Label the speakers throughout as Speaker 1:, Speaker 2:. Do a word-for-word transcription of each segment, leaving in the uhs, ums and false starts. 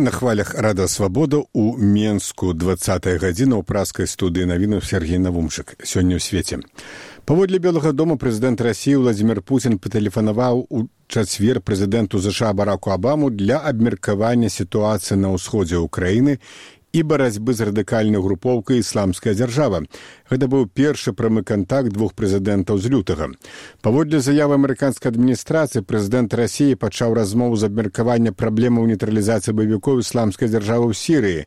Speaker 1: Вы на хвалях Рада Свабода у Менску двадцатая гадзіна ў праскай студыі навінаў Сергей Навумчык. Сёння ў свеце. Паводле Белага дома прэзідэнт Расіі Владзімір Пуцін патэлефанаваў у чацвер прэзідэнту ЗША Бараку Абаму для абмеркавання сітуацыі на ўсходзе ўкраіны і барацьбы з радыкальнай групоўкай «Ісламская дзяржава». Гэта быў першы прамы кантакт двух прэзідэнтаў з лютага. Паводле заявы амерыканскай адміністрацыі, прэзідэнт Расіі пачаў размову з абмеркавання праблемаў нейтралізацыі баевікоў «Ісламскай дзяржавы» ў Сірыі.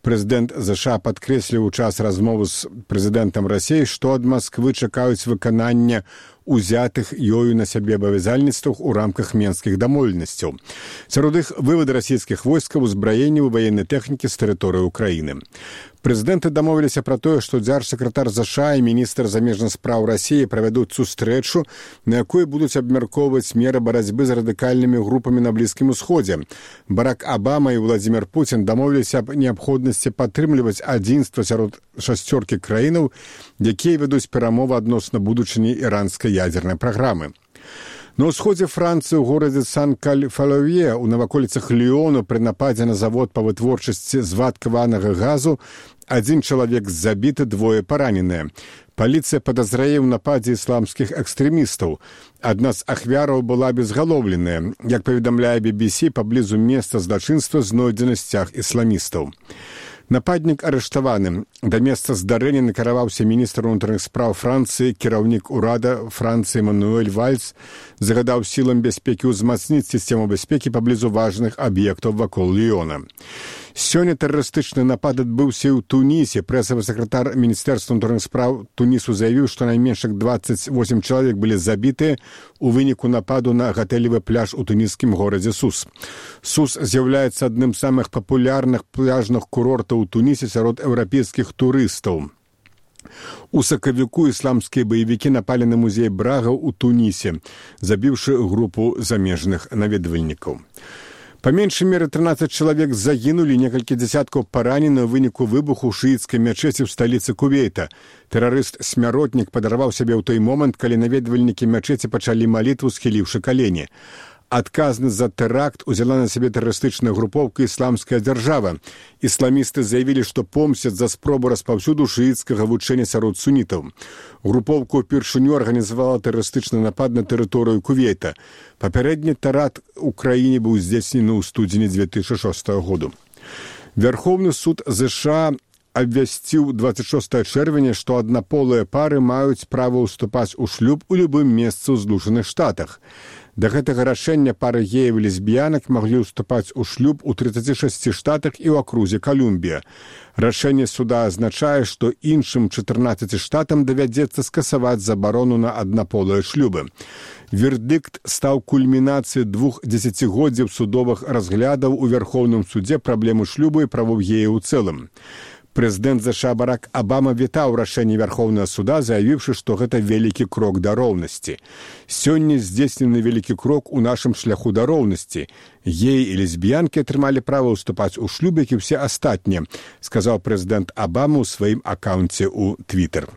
Speaker 1: Прэзідэнт ЗША падкрэсліў у час размовы з прэзідэнтам Расіі, што ад Масквы чакаюць выканання узятых ёю на сябе абавязальніцтвах у рамках менскіх дамоўленасцяў. Сярод іх вывад расійскіх войскаў, узбраенняў і ваеннай тэхнікі з тэрыторыі ўкраіны. Прэзідэнты дамовіліся пра тое, што дзяржсакратар ЗША і міністр замежных спраў Расіі правядуць сустрэчу, на якой будуць абмяркоўваць меры барацьбы з радыкальнымі групамі на Блізкім Усходзе. Барак Абама і Владзімір Пуцін дамовіліся аб неабходнасці падтрымліваць адзінства сярод шасцёркі краінаў, якія вядуць перамовы адносна будучыні іранскай ядзернай праграмы. На ўсходзе Францыі ў горадзе Сан-Каль-Фалавье ў наваколіцах Ліёну пры нападзе на завод па вытворчасці звадкаванага газу адзін чалавек забіты, двое параненыя. Паліцыя падазрае ў нападзе ісламскіх экстрэмістаў. Адна з ахвяраў была безгалоўленая. Як паведамляе би би сі, паблізу месца злачынства знойдзены сцяг ісламістаў. Нападнік арыштаваны. Да месца здарэння накіраваўся міністр унутраных спраў Францыі, кіраўнік урада Францыі Мануэль Вальц загадаў сілам бяспекі ўзмацніць сістэму бяспекі паблізу важных аб'ектаў вакол Ліёна. Сёння тэрарыстычны напад адбыўся і ў Тунісе. Прэсавы сакратар Міністэрства ўнутраных спраў Тунісу заявіў, што найменш дваццаць восем чалавек былі забітыя у выніку нападу на гатэлевы пляж у туніскім горадзе Сус. Сус з'яўляецца адным з самых папулярных пляжных курортаў у Тунісе сярод еўрапейскіх турыстаў. У сакавіку ісламскія баевікі напалі на музей Брага ў Тунісе, забіўшы групу замежных наведвальнікаў. Па меншай меры трынаццаць чалавек загінулі, некалькі дзясяткаў паранены ў выніку выбуху ў шыіцкай мячэці ў сталіцы Кувейта. Тэрарыст-смяротнік падарваў сябе ў той момант, калі наведвальнікі мячэці пачалі малітву, схіліўшы калені. Адказнасць за тэракт узяла на сябе тэрарыстычная групоўка «Ісламская дзяржава». Ісламісты заявілі, што помсцяць за спробу распаўсюду шыіцкага вучэння сярод сунітаў. Групоўка ўпершыню арганізавала тэрарыстычны напад на тэрыторыю Кувейта. Папярэдні тэракт у краіне быў здзейснены ў студзені дзве тысячы шостага году. Вярхоўны суд ЗША абвясціў дваццаць шостага чэрвеня, што аднаполыя пары маюць права ўступаць у шлюб у любым месцы ў Злучаных Штатах. Да гэтага рашэння пары геяў і лесбіянак маглі ўступаць у шлюб у трыццаці шасці штатах і ў акрузе Калумбія. Рашэнне суда азначае, што іншым чатырнаццаці штатам давядзецца скасаваць забарону на аднаполыя шлюбы. Вердыкт стаў кульмінацыяй двух дзесяцігоддзяў судовых разглядаў у Вярхоўным судзе праблемы шлюбу і правоў геяў у цэлым. Прэзідэнт ЗША Барак Абама вітаў рашэнне Вярхоўнага суда, заявіўшы, што гэта вялікі крок да роўнасці. Сёння здзейснены вялікі крок у нашым шляху да роўнасці. Геі і лесбіянкі атрымалі права ўступаць у шлюб, як і ўсе астатнія, сказаў прэзідэнт Абама ў сваім акаунце ў Твіттер.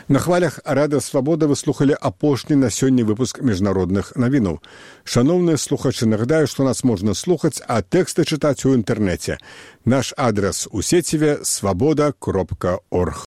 Speaker 1: На хвалях Рада Свабода вы слухалі апошні на сёння выпуск міжнародных навінаў. Шаноўныя слухачы, нагадаю, што нас можна слухаць, а тэксты чытаць у інтэрнэце. Наш адрас у сеціве свабода кропка орг.